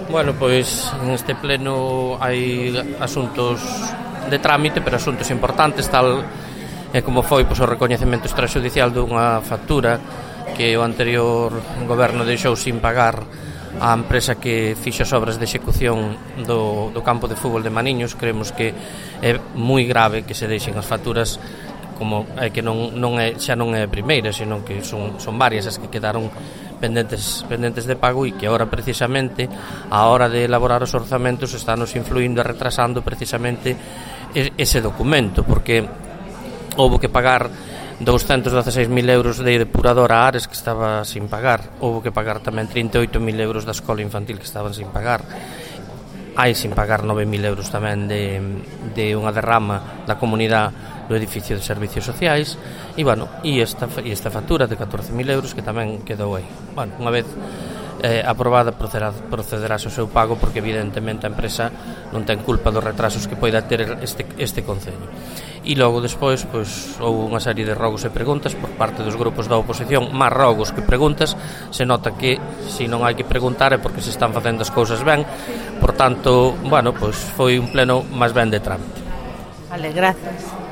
Bueno, pois neste pleno hai asuntos de trámite, pero asuntos importantes, tal e como foi pois, o recoñecemento extrajudicial dunha factura que o anterior goberno deixou sin pagar a empresa que fixo as obras de execución do campo de fútbol de Maniños. Creemos que é moi grave que se deixen as facturas, como é que xa non é a primeira, senón que son varias as que quedaron pendentes de pago e que agora precisamente a hora de elaborar os orzamentos estános influindo e retrasando precisamente ese documento, porque houbo que pagar 216.000 euros de depuradora a Ares que estaba sin pagar, houbo que pagar tamén 38.000 euros da escola infantil que estaban sin pagar, hai sin pagar 9.000 euros tamén de unha derrama da comunidade do edificio de servicios sociais e, bueno, e esta factura de 14.000 euros que tamén quedou aí. Bueno, unha vez aprobada procederase ao seu pago, porque evidentemente a empresa non ten culpa dos retrasos que poida ter este concello. E logo despois pois, houve unha serie de rogos e preguntas por parte dos grupos da oposición, máis rogos que preguntas. Se nota que se non hai que preguntar é porque se están facendo as cousas ben. Por tanto, bueno, pois foi un pleno máis ben de trámite. Vale, gracias.